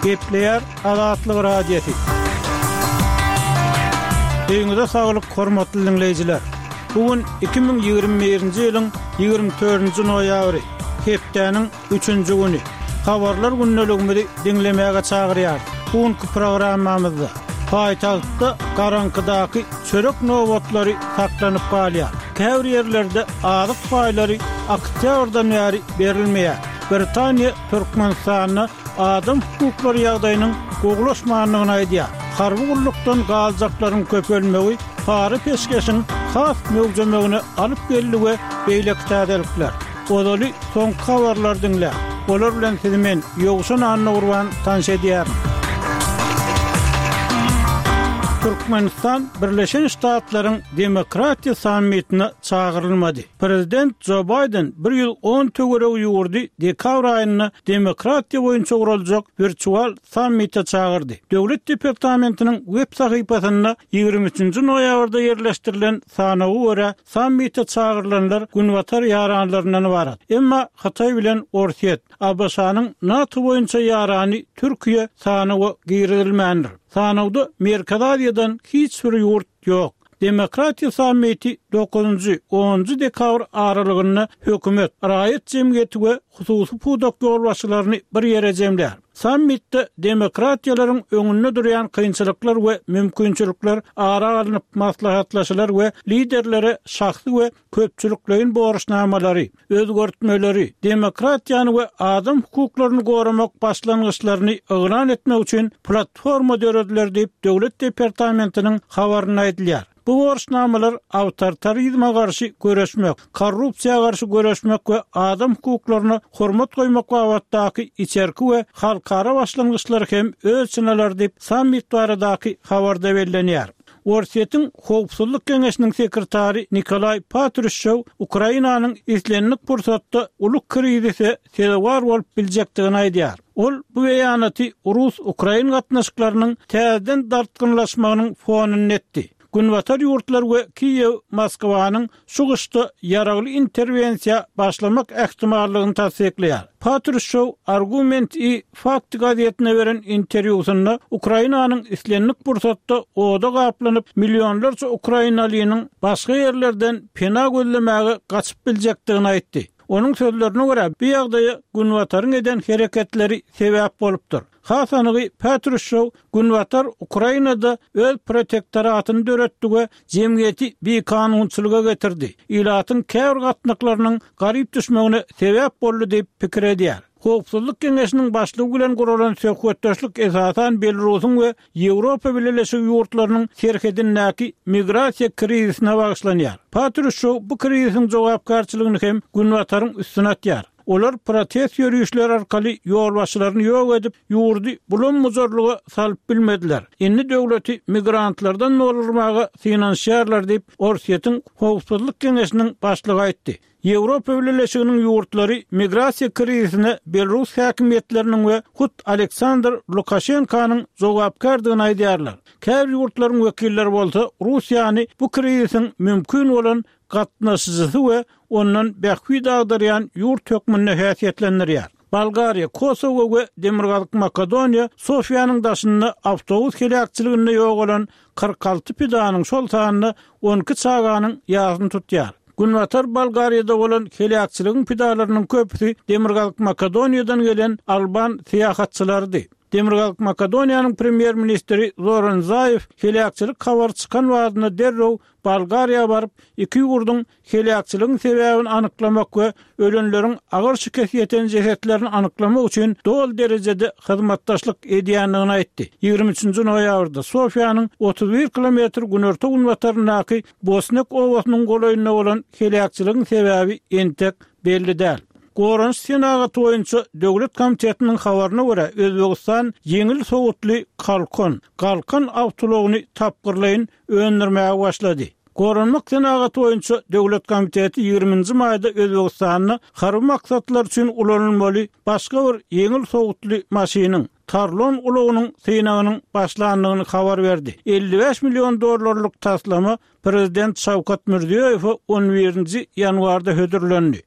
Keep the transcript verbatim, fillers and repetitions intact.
Gepleýär Azatlyk Radiosy. Öýüňize saglyk, hormatly diňleýjiler. Bu gün iki müň ýigrimi birinji ýylyň ýigrimi dördünji noýabry, hepdäniň üçünji güni. Habarlar gündeligimizi diňlemäge çagyrýar. Bu günki programmamyzda paýtagtda garaňkydaky çörek nobatlary saklanyp galýar. Käbir ýerlerde azyk paýlary oktýabrdan bäri berilmeýär. Britaniýa Türkmenistanda adam hukuklary ýagdaýynyň gowulaşmandygyny aýdýar. Harby gullukdan galjaklaryň köpelmegi para-peşgeşiň has möwjemegine alyp geldi we beýleki täzelikler. Ozaly soňky habarlary diňläň. Olar bilen sizi men, Ýowşan Annagurban tanyş edýärin. Türkmenistan Birleşen Ştatlaryň Demokratiýa sammitine çagyrylmady. Prezident Jo Baýden bir ýüz on töweregi ýurdy dekabr aýynda demokratiýa boýunça guraljak wirtual sammite çagyrdy. Döwlet departamentiniň web sahypasynda ýigrimi üçünji noýabrda ýerleşdirilen sanawa görä, sammite çagyrylanlar Günbatar ýaranlaryndan ybarat. Emma Hytaý bilen Orsýet, A B Ş-nyň NATO boýunça ýarany Türkiýe sanawa girizilmändir. Sanawda Merkezi Aziýadan hiç bir ýurt ýok. Demokratiýa sammiti dokuzynjy, onunjy dekabr aralygynda hökümet, raýat jemgyýeti we hususy pudak ýolbaşçylaryny bir ýere jemlär. Sammitde demokratiýalaryň öňünde durýan kynçylyklar we mümkinçilikler ara alnyp maslahatlaşylar we liderlere şahsy we köpçülikleýin borçnamalary, özgertmeleri, demokratiýany we adam hukuklaryny goramak başlangyçlaryny yglan etmek üçin platforma dörediler diýip Döwlet departamentiniň habarynda aýdylýar. Bu borçnamalar awtoritarizme garşy göreşmek, korrupsiýa garşy göreşmek we adam hukuklaryna hormat goýmak babatdaky içerki we halkara başlangyçlary hem öz içine alar diýip sammit baradaky habarda bellenýär. Orsýetiň Howpsuzlyk Geňeşiniň sekretary Nikolay Patrushew Ukrainanyň islendik pursatda uly krizise sezewar bolup biljekdigini aýdýar. Ol bu beýanaty Rus-Ukrain gatnaşyklarynyň täzeden dartgynlaşmagynyň fonunda etdi. Günbatar ýurtlar we Kiýew Moskwanyň şu gyşda ýaragly interwensiýa başlamak ähtimallygyny tassyklaýar. Patrushew Argument i Fakt gazetine beren interwýusynda Ukrainanyň islendik pursatda oda gaplanyp millionlarça ukrainalynyň başga ýerlerden pena gözlemäge gaçyp biljekdigini aýtdy. Onuň sözlerine görä, bu ýagdaýa Günbataryň eden hereketleri sebäp bolupdyr. Has anygy Patrushew Günbatar Ukrainada öz protektoratyny döretdi we jemgyýeti bikanunçylyga getirdi. Ilatyň käbir gatnaklarynyň garyp düşmegine sebäp boldy diýip pikir edýär. Howpsuzlyk Geňeşiniň başlygy bilen guralan söhbetdeşlik esasan Belarusyň we Ýewropa Bileleşigi ýurtlarynyň serhedindäki migrasiýa krizisine bagyşlanýar. Patrushew bu krizisiň jogapkärçiligini hem Günbataryň üstüne atýar. Olar protest ýörüşleri arkaly ýolbaşçylaryny ýok edip, ýurdy bulam-buzarlyga salyp bilmediler. Indi döwleti migrantlardan doldurmaga synanyşýarlar diýip, Orsýetiň Howpsuzlyk Geňeşiniň başlygy aýtdy. Ýewropa Bileleşiginiň ýurtlary migrasiýa krizisine Belarus häkimiýetleriniň we hut Aleksandr Lukaşenkanyň jogapkärdigini aýdýarlar. Käbir ýurtlaryň wekilleri bolsa Russiýany bu krizisiň mümkin bolan gatnaşyjysy we ondan bähbit agdarýan ýurt hökmünde häsiýetlendirýär. Bolgariýa, Kosowo we Demirgazyk Makedoniýa Sofiýanyň daşynda awtobus heläkçiliginde ýogalan kyrk alty pidanyň şol sanda on iki çaganyň ýasyny tutýar. Günbatar Bolgariýada bolan heläkçiligiň pidalarynyň köpüsi Demirgazyk Makedoniýadan gelen alban syýahatçylarydy. Demirgazyk Makedoniýanyň premýer-ministri Zoran Zaýew heläkçilik habary çykan wagtynda derrew Bolgariýa baryp, iki ýurduň heläkçiligiň sebäbini anyklamak we ölenleriň agyr şikes ýeten jesetlerini anyklamak üçin doly derejede hyzmatdaşlyk edýändigini aýtdy. Ýigrimi üçünji noýabrda Sofiýanyň otuz bir kilometr günorta günbataryndaky Bosnek obasynyň golaýynda bolan heläkçiligiň sebäbi entek belli däl. Goranyş senagaty boýunça Döwlet komitetiniň habaryna görä, Özbegistan ýeňil sowutly Kalkon, Galkan awtoulagyny tapgyrlaýyn öndürmäge başlady. Goranmak senagaty boýunça Döwlet komiteti ýigriminji maýda Özbegistanda harby maksatlar üçin ulanylmaly başga bir ýeňil sowutly maşynyň Tarlon ulagynyň synagynyň başlandygyny habar berdi. Elli bäş million dollarlyk taslama Prezident Şawkat Mirziýoýewe on birinji ýanwarda hödürlendi.